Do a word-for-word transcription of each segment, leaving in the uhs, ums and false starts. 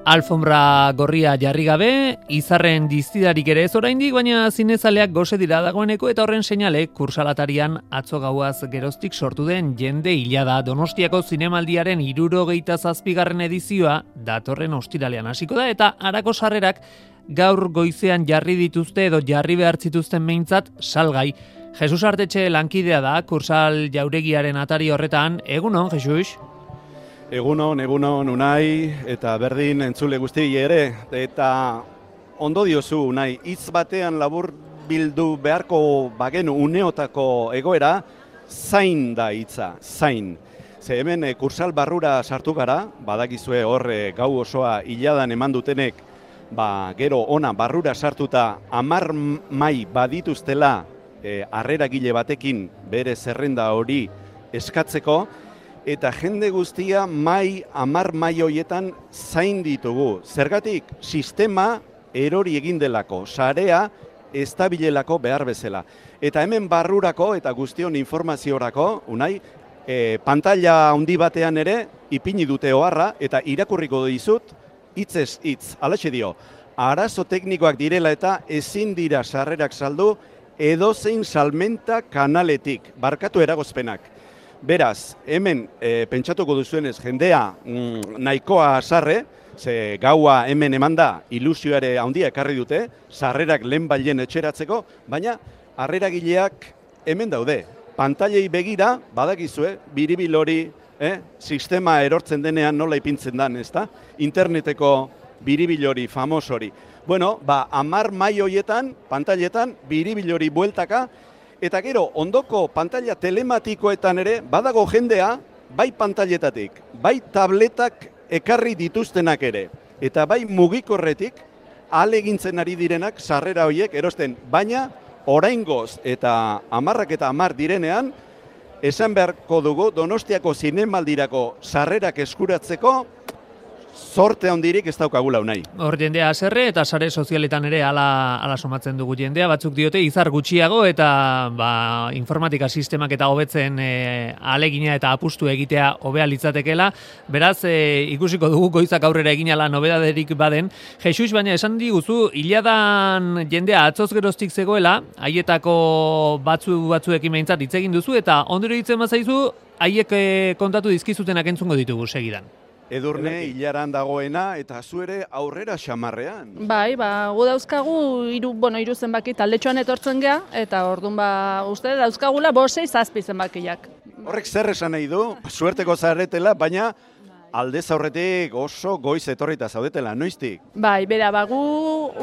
Alfombra gorria jarri gabe, izarren diztidarik ere ez oraindik, baina zinezaleak gose dira dagoeneko eta horren seinale kursalatarian atzo gauaz geroztik sortu den jende hila da. Donostiako zinemaldiaren hirurogeita zazpigarren edizioa datorren ostiralean hasiko da eta harako sarrerak gaur goizean jarri dituzte edo jarri behar zituzten behintzat salgai. Jesus Artetxe lankidea da kursal jauregiaren atari horretan. Egunon, Jesus? Egunon, egunon, Unai, eta berdin entzule guzti ere, eta ondo diozu, Unai, hitz batean labur bildu beharko bagenu uneotako egoera, zain da hitza, zain. Ze hemen e, kursal barrura sartu gara, badakizue hor e, gau osoa hiladan eman dutenek, ba, gero ona barrura sartuta hamar mai badituztela e, harreragile batekin bere zerrenda hori eskatzeko, eta jende guztia mai, hamar mai hoietan zain ditugu. Zergatik, sistema erori egin delako, sarea estabilelako behar bezala. Eta hemen barrurako eta guztion informaziorako, Unai, e, pantalla handi batean ere, ipini dute oharra, eta irakurriko dizut, hitzez hitz, halaxe dio, arazo teknikoak direla eta ezin dira sarrerak saldu edozein salmenta kanaletik, barkatu eragozpenak. Beraz, hemen e, pentsatuko duzuenez jendea mm, nahikoa sarre, ze gaua hemen emanda ilusioare handia ekarri dute, sarrerak lehen bailen etxeratzeko, baina harreragileak hemen daude. Pantailei begira, badakizue, biribil hori, eh, sistema erortzen denean nola ipintzen dan, ezta? Interneteko biribil hori, famos hori. Bueno, ba, hamar mai hoietan, pantailetan, biribil hori bueltaka, eta gero, ondoko pantalla telematikoetan ere, badago jendea, bai pantailetatik, bai tabletak ekarri dituztenak ere, eta bai mugikorretik, ahalegintzen ari direnak sarrera horiek erosten, baina oraingoz eta hamarrak eta hamar direnean, esan beharko dugu Donostiako zinemaldirako sarrerak eskuratzeko, zorte handirik ez daukagula, Unai. Hor jendea haserre eta sare sozialetan ere ala, ala somatzen dugu jendea, batzuk diote izar gutxiago eta ba, informatika sistemak eta hobetzen e, alegina eta apustu egitea hobea litzatekela. Beraz, e, ikusiko dugu goizak aurrera egin ala nobedaderik baden. Jesus, baina esan diguzu, hiladan jendea atzoz geroztik zegoela, haietako batzu batzuekin behintzat hitz egin duzu eta ondero hitzen bazaizu, haiek e, kontatu dizkizutenak entzungo ditugu segidan. Edurne, hilaran dagoena, eta zu ere aurrera xamarrean. Bai, ba, gu dauzkagu, iru, bueno, iru zenbaki taldetxoan etortzen gea, eta orduan ba, uste dauzkagula bosei zazpi zenbakiak. Horrek zer esan nahi du, suerteko zaretela, baina aldez aurretik oso goiz etorrita zaudetela, noiztik? Bai, bera, ba, gu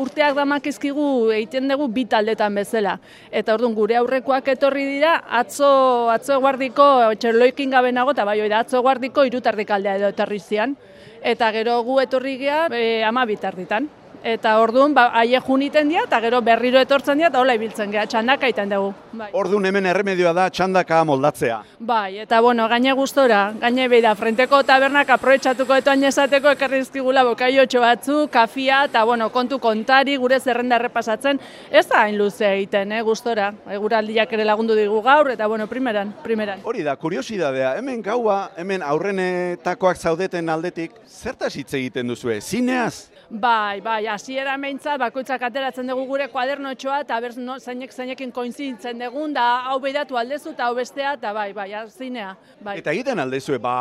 urteak damakizkigu egiten dugu bi taldetan bezala. Eta orduan gure aurrekoak etorri dira, atzo, atzo guardiko, txerloikin gabe nago, eta bai, oida, atzo guardiko irutardik aldea edo etorri zian. Eta gero gu etorri gea, e, ama bitarditan. Eta orduan, ba, aie juniten dira, eta gero berriro etortzen dira, eta hola ibiltzen gea, txandaka iten dugu. Bai. Orduan hemen erremedioa da txandaka moldatzea. Bai, eta bueno, gaine gustora, gaine beida, frenteko tabernak aprobetxatuko etoan esateko ekarri dizkigula bokaiotxo batzu, kafia, eta bueno, kontu kontari, gure zerrenda errepasatzen, ez da hain luze egiten, eh, gustora. Eguraldiak ere lagundu digu gaur, eta bueno, primeran, primeran. Hori da, kuriosidadea, hemen gaua, hemen aurrenetakoak zaudeten aldetik, zertaz hitz egiten duzue, zineaz? Bai, bai, hasiera meintzat bakoitzak ateratzen dugu gure kuadernotxoa eta ber no, zeinek zeinekin koinziditzen dugun da hau beiratu aldezu eta hau bestea eta bai, bai, zinea. Bai. Eta egiten aldezue, ba,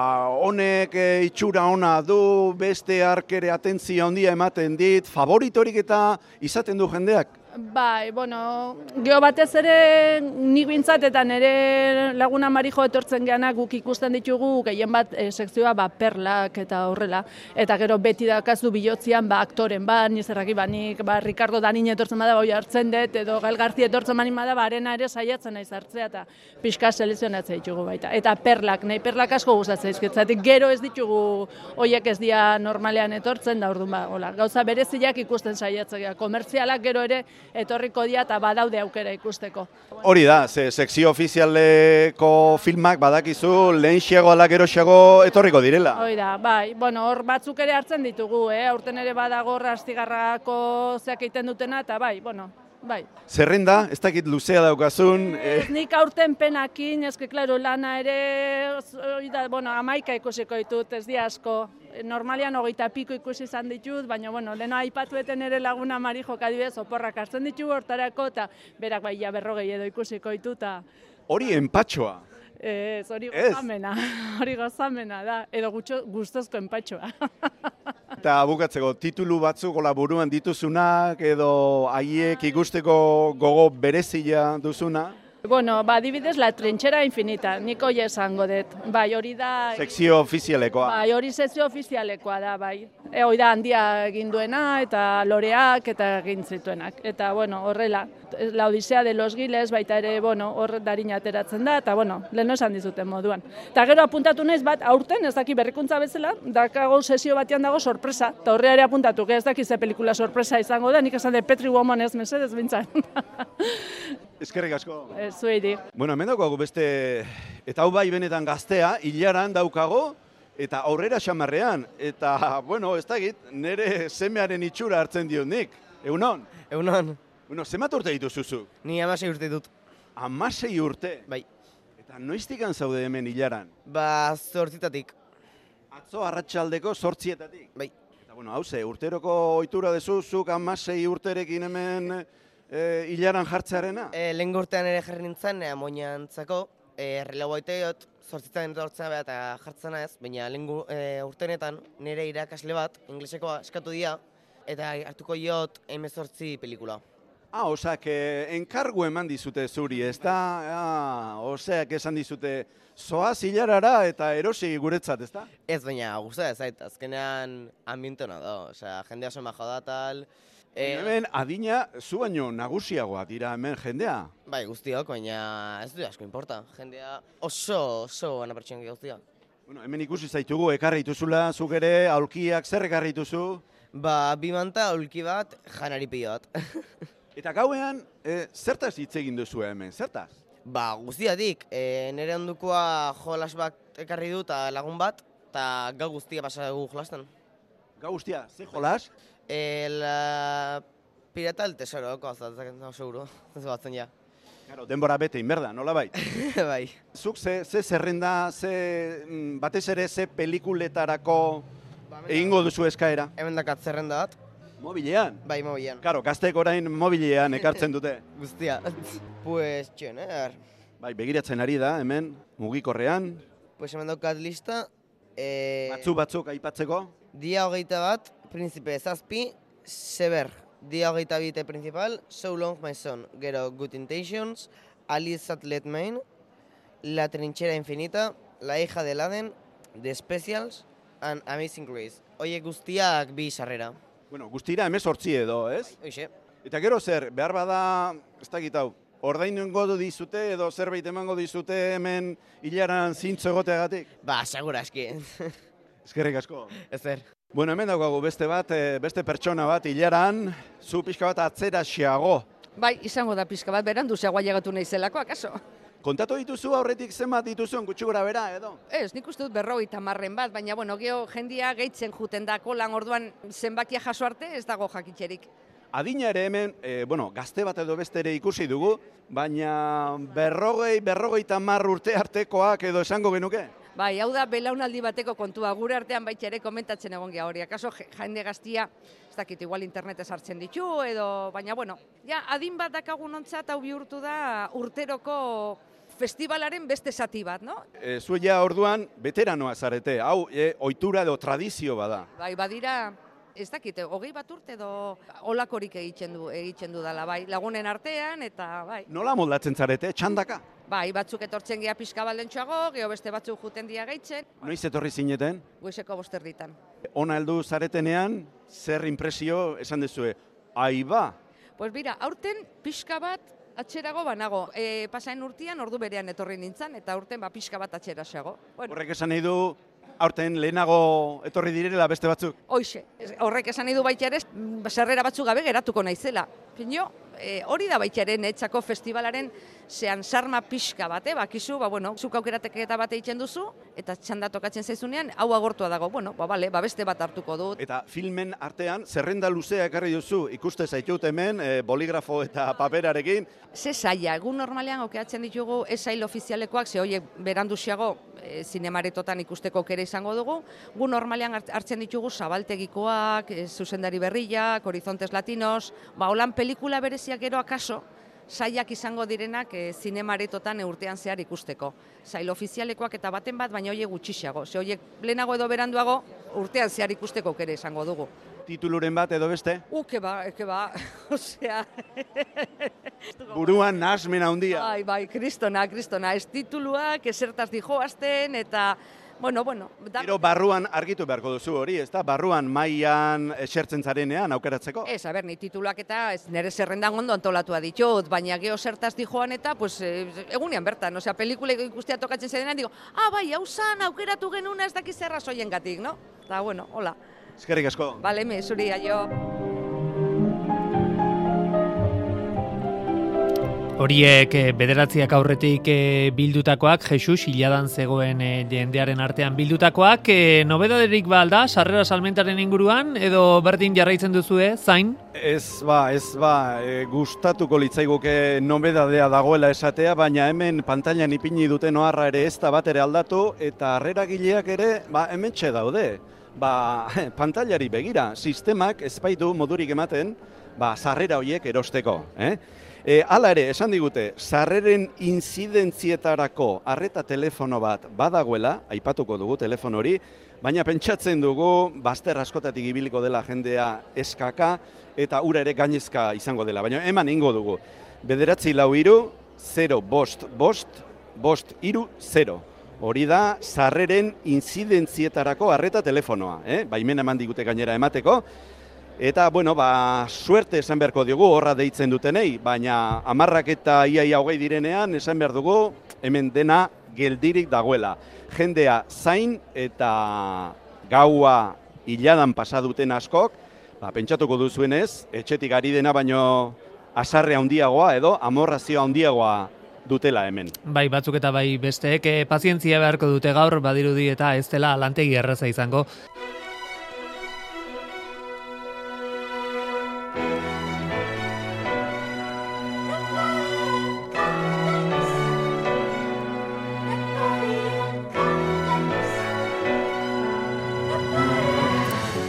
honek e, itxura ona du, beste arkere atentzia handia ematen dit, favoritorik eta izaten du jendeak? Bai, bueno, geho batez ere nik bintzat eta nire laguna Marijo etortzen geanak guk ikusten ditugu gehien bat e, sekzioa ba, perlak eta horrela. Eta gero beti dakazu bilotzian ba, aktoren ba, nizerraki ba, nik ba, Ricardo Danin etortzen bada bai hartzen dut, edo Gael García etortzen bani bada ba, arena ere saiatzen naiz hartzea eta pixka selezionatzea ditugu baita. Eta perlak, nahi perlak asko gustatzen izkitzatik, gero ez ditugu hoiek ez dia normalean etortzen da orduan ba, hola, gauza bereziak ikusten saiatzea, komertzialak gero ere etorriko dira eta badaude aukera ikusteko. Hori da, ze sekzio ofizialeko filmak badakizu lehenxiago ala geroxiago etorriko direla. Hori da, bai, bueno, hor batzuk ere hartzen ditugu, eh? Aurten ere badago Astigarrako zeak egiten dutena eta bai, bueno, bai. Zerrenda, ez dakit luzea daukazun. Ez, nik aurten penakin, ezke, klaro, lana ere, hori da, bueno, amaika ikusiko ditut, ez di asko. Normalian hogeita piko ikusi izan ditut, baina, bueno, leheno aipatueten ere laguna Marijo kadibidez, oporrak hartzen ditu hortarako, eta berak bai, ja berrogei edo ikusiko ditut, eta... Hori enpatxoa. Ez, hori gozamena, hori gozamena da, edo gustozko enpatxoa. Eta bukatzeko, titulu batzuk gola buruan dituzunak, edo haiek ikusteko gogo berezia duzuna? Bueno, ba, adibidez, La trinchera infinita, nik hori esango dut. Bai, hori da... Sekzio ofizialekoa. Bai, hori sekzio ofizialekoa da, bai. E, hori da handia egin duena, eta loreak, eta egin zituenak. Eta, bueno, horrela, La odisea de los giles, baita ere, bueno, hor darin ateratzen da, eta, bueno, lehen esan dizuten moduan. Eta gero apuntatu naiz bat, aurten, ez daki berrikuntza bezala, dakago sesio batean dago sorpresa, eta horre ere apuntatu, ez daki ze pelikula sorpresa izango da, nik esan de Petri Woman ez mesedez bintzan. Eskerrik asko. Zuedi. Bueno, hemen daukagu beste, eta hau bai benetan gaztea, hilaran daukago, eta aurrera xamarrean. Eta, bueno, ez dakit, nire semearen itxura hartzen diot nik. Egunon? Egunon. Bueno, zemat urte dituzuzu? Ni amasei urte dut. Amasei urte? Bai. Eta noiztikan zaude hemen hilaran? Ba, zortzitatik. Atzo arratsaldeko zortzietatik? Bai. Eta, bueno, hauze, urteroko ohitura dezuzuk amasei urterekin hemen... E, hilaran jartzearena? E, lehen urtean ere jarri nintzen, e, amoinantzako, e, relabo aiteot, zortzitzen etortzen behar eta jartzen ez, baina lehen e, urtenetan nire irakasle bat, inglesekoa eskatu dira, eta hartuko jot hemezortzi pelikula. Ah, osak, enkargu eman dizute zuri, ez da? Ah, oseak esan dizute, zoaz hilarara eta erosi guretzat, ez da? Ez, baina guztia ez zait, azkenean ambientona da, osea, jendea soma joda tal. E, hemen adina zu baino nagusiagoa dira hemen jendea? Bai, guztiok, baina ez du asko importa, jendea oso, oso gana pertsonak guztia. Bueno, hemen ikusi zaitugu, ekarri dituzula, zuk ere, aulkiak zer ekarri dituzu? Ba, bi manta, aulki bat, janari pilo bat. Eta gauean, e, zertaz hitz egin duzu hemen, zertaz? Ba, guztiatik, e, nire ondukoa jolas bat ekarri du eta lagun bat, eta gau guztia pasa dugu jolasten. Gau guztia, ze jolas? E, la pirata el tesoro, kozatzen, no, seguro, ez batzen ja. Claro, denbora bete inberda, nola bai? Bai. Zuk ze, ze zerrenda, ze, batez ere ze pelikuletarako ba, egingo duzu eskaera? Hemen dakat zerrenda bat. Mobilean? Bai, mobilean. Karo, gaztek orain mobilean ekartzen dute. Guztia. Pues, txoner. Bai, begiratzen ari da, hemen, mugikorrean. Pues hemen daukat lista. E... Batzu batzuk aipatzeko? Dia hogeita bat, Príncipe zazpi, Sever. Dia hogeita bite principal, So Long My Son. Gero, Good Intentions, Alice at Let Main, La Trinchera Infinita, La Hija de Laden, The Specials, and Amazing Grace. Oie guztiak bi sarrera. Bueno, guztira hemezortzi edo, ez? Hoxe. Eta gero zer, behar bada, ez dakit hau, ordainengo dizute edo zerbait emango dizute hemen hilaran zintzo egoteagatik? Ba, segura eski. Eskerrik asko. Ezer. Bueno, hemen daukagu beste bat, beste pertsona bat hilaran, zu pixka bat atzera xeago. Bai, izango da pixka bat, berandu zegoa llegatu naizelako, akaso? Kontatu dituzu aurretik zenbat dituzuen gutxi gora bera, edo? Ez, nik uste dut berrogeita marren bat, baina bueno, geho jendia gehitzen juten dako lan orduan zenbakia jaso arte ez dago jakitxerik. Adina ere hemen, e, bueno, gazte bat edo beste ere ikusi dugu, baina berrogei, berrogeita mar urte artekoak edo esango genuke? Bai, hau da belaunaldi bateko kontua, gure artean baita ere komentatzen egon geha hori. Akaso jende gaztia, ez dakit, igual internetez hartzen ditu, edo, baina bueno, ja, adin bat dakagun ontzat hau bihurtu da urteroko festivalaren beste zati bat, no? E, zu ja orduan veteranoa zarete, hau e, ohitura edo tradizio bada. Bai, badira, ez dakit, hogei bat urte edo olakorik egiten du, egiten du dela, bai, lagunen artean, eta bai. Nola moldatzen zarete, txandaka? Bai, batzuk etortzen geha pixka baldentxoago, geho beste batzuk juten dia gehitzen. Noiz etorri zineten? Goizeko bosterditan. Ona heldu zaretenean, zer impresio esan dezue? Aiba! Pues bira, aurten pixka bat atxerago banago. E, pasain urtean ordu berean etorri nintzen, eta aurten ba, pixka bat atxerasago. Bueno. Horrek esan nahi du, aurten lehenago etorri direla beste batzuk? Hoixe, horrek esan nahi du baita ere, sarrera batzuk gabe geratuko naizela. Pino, e, hori da baitxaren etxako festivalaren zean sarma pixka bate, bakizu, ba, bueno, zuk aukerateketa bate egiten duzu, eta txanda tokatzen zaizunean, hau agortua dago, bueno, ba, bale, ba, beste bat hartuko dut. Eta filmen artean, zerrenda luzea ekarri duzu, ikuste zaitut hemen, e, boligrafo eta paperarekin. Ze saia, egun normalean aukeatzen ditugu ez sail ofizialekoak, ze horiek beranduziago e, zinemaretotan ikusteko kere izango dugu, gu normalean hartzen ditugu zabaltegikoak, e, zuzendari berriak, horizontes latinos, ba, holan pelikula bereziak gero akaso, saiak izango direnak e, zinemaretotan urtean zehar ikusteko. Sail ofizialekoak eta baten bat, baina horiek gutxiago. Ze horiek lehenago edo beranduago urtean zehar ikusteko kere izango dugu. Tituluren bat edo beste? Uh, ke ba, ke ba, osea... Buruan nahasmen handia. Bai, bai, kristona, kristona, ez tituluak, esertaz dijoazten, eta... Bueno, bueno... Da... Gero barruan argitu beharko duzu hori, ez da? Barruan mailan esertzen zarenean aukeratzeko? Ez, a ber, ni tituluak eta ez, nire zerrendan ondo antolatua ditut, baina geho zertaz dijoan eta, pues, egunean bertan, osea, pelikula ikustea tokatzen zarenean, digo, ah, bai, hau zan, aukeratu genuna ez dakiz zerra soien gatik, no? Eta, bueno, hola. Eskerrik asko. Bale, me, zuri, aio. Horiek bederatziak aurretik bildutakoak, Jesus hiladan zegoen jendearen artean bildutakoak, nobedaderik ba alda, sarrera salmentaren inguruan, edo berdin jarraitzen duzue, zain? Ez ba, ez ba, e, gustatuko litzaiguke nobedadea dagoela esatea, baina hemen pantailan ipini duten oharra ere ez da bat ere aldatu, eta harreragileak ere, ba, hementxe daude. Ba, pantailari begira, sistemak ez baitu modurik ematen, ba, sarrera horiek erosteko, eh? E, hala ere, esan digute, sarreren inzidentzietarako arreta telefono bat badagoela, aipatuko dugu telefono hori, baina pentsatzen dugu bazter askotatik ibiliko dela jendea eskaka eta ura ere gainezka izango dela, baina eman ingo dugu. Bederatzi lau iru, zero, bost, bost, bost, iru, zero. Hori da, sarreren inzidentzietarako arreta telefonoa, eh? Baimena eman digute gainera emateko. Eta, bueno, ba, suerte esan beharko diogu horra deitzen dutenei, baina hamarrak eta iaia hogei direnean esan behar dugu hemen dena geldirik dagoela. Jendea zain eta gaua hiladan pasa duten askok, ba, pentsatuko duzuenez, etxetik ari dena baino asarre handiagoa edo amorrazio handiagoa dutela hemen. Bai, batzuk eta bai besteek, eh, pazientzia beharko dute gaur, badirudi eta ez dela lantegi erraza izango.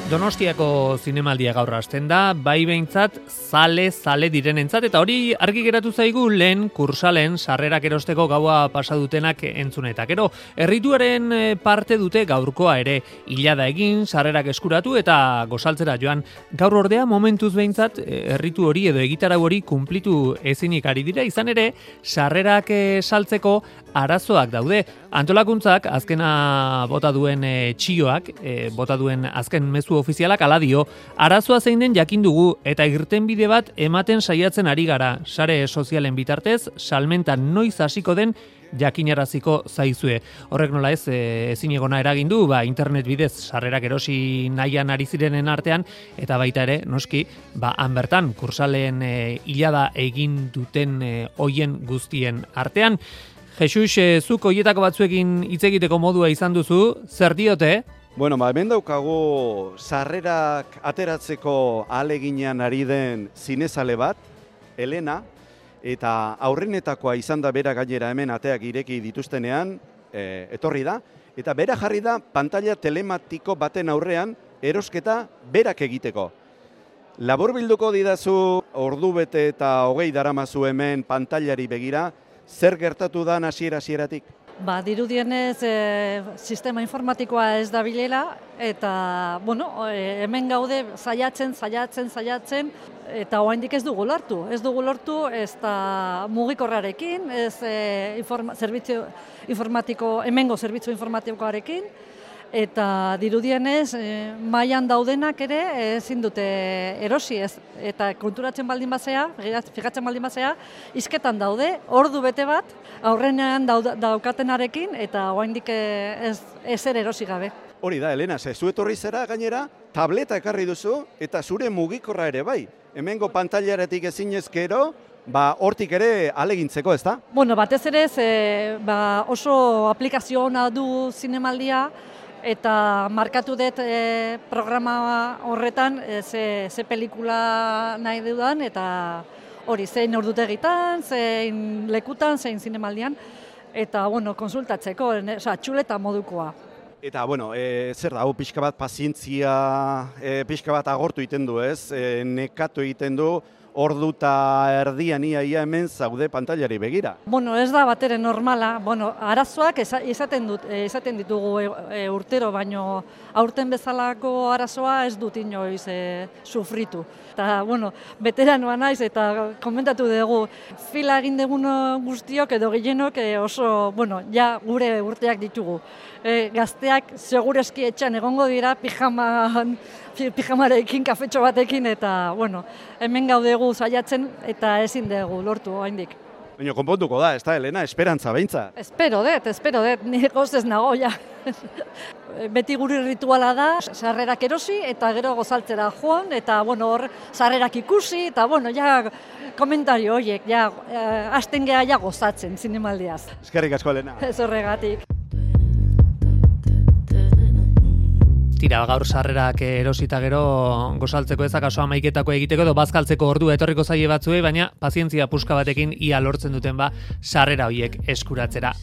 Donostiako zinemaldia gaur hasten da, bai behintzat zale, zale direnentzat, eta hori argi geratu zaigu lehen kursalen sarrerak erosteko gaua pasa dutenak entzuneta. Gero, errituaren parte dute gaurkoa ere, hilada egin, sarrerak eskuratu eta gozaltzera joan. Gaur ordea momentuz behintzat erritu hori edo egitarau hori kunplitu ezinik ari dira, izan ere, sarrerak saltzeko arazoak daude. Antolakuntzak azkena bota duen e, txioak, e, bota duen azken mezu ofizialak ala dio, arazoa zein den jakin dugu eta irtenbide bat ematen saiatzen ari gara. Sare sozialen bitartez, salmenta noiz hasiko den jakinaraziko zaizue. Horrek nola ez, e, ezin egona eragin du, ba, internet bidez sarrerak erosi nahian ari zirenen artean, eta baita ere, noski, ba, han bertan, kursalen e, hilada egin duten e, hoien guztien artean. Jesus, e, zuk hoietako batzuekin hitz egiteko modua izan duzu, zer diote? Bueno, ba, hemen daukagu sarrerak ateratzeko ahaleginean ari den zinezale bat, Elena, eta aurrenetakoa izan da bera gainera hemen ateak ireki dituztenean, e, etorri da, eta bera jarri da pantalla telematiko baten aurrean erosketa berak egiteko. Labur bilduko didazu ordubete eta hogei daramazu hemen pantailari begira, zer gertatu da hasiera-hasieratik? Ba, dirudienez e, sistema informatikoa ez da bilela, eta, bueno, e, hemen gaude saiatzen, saiatzen, saiatzen, eta oraindik ez dugu lortu. Ez dugu lortu, ez da mugikorrarekin, ez e, informa, zerbitzu informatiko, hemengo zerbitzu informatikoarekin, eta dirudienez, e, mailan daudenak ere ezin dute erosi, ez, eta konturatzen baldin bazea, fijatzen baldin bazea, hizketan daude, ordu bete bat, aurrenean daukatenarekin, eta oraindik ez, ez ere erosi gabe. Hori da, Elena, ze zu etorri zera gainera, tableta ekarri duzu, eta zure mugikorra ere bai. Hemengo pantailaretik ezinezkero, ba, hortik ere alegintzeko, ez da? Bueno, batez ere, ze, ba, oso aplikazio ona du zinemaldia, eta markatu dut e, programa horretan e, ze, ze pelikula nahi dudan, eta hori, zein ordutegitan, zein lekutan, zein zinemaldian, eta, bueno, konsultatzeko, oza, txuleta modukoa. Eta, bueno, e, zer da, hau pixka bat pazientzia, e, pixka bat agortu egiten du, ez? E, nekatu egiten du, ordu eta erdian ia, ia hemen zaude pantailari begira. Bueno, ez da batere normala, bueno, arazoak izaten, dut, izaten ditugu e, e, urtero, baino aurten bezalako arazoa ez dut inoiz e, sufritu. Eta, bueno, veteranoa naiz eta komentatu dugu, fila egin dugun guztiok edo gehienok e, oso, bueno, ja gure urteak ditugu. E, gazteak segureski etxan egongo dira pijaman, pijamarekin, kafetxo batekin, eta, bueno, hemen gaudegu saiatzen eta ezin dugu lortu oraindik. Baina konpontuko da, ez da, Elena, esperantza behintzat. Espero dut, espero dut, nire gozez nago, ja. Beti guri rituala da, sarrerak erosi eta gero gozaltzera joan, eta, bueno, hor, sarrerak ikusi, eta, bueno, ja, komentario horiek, ja, hasten geha ja gozatzen zinemaldiaz. Eskerrik asko, Elena. Ez horregatik. Tira, gaur sarrerak erosita gero gozaltzeko ez akaso amaiketako egiteko edo bazkaltzeko ordu etorriko zaie batzuei, baina pazientzia puska batekin ia lortzen duten ba sarrera horiek eskuratzera.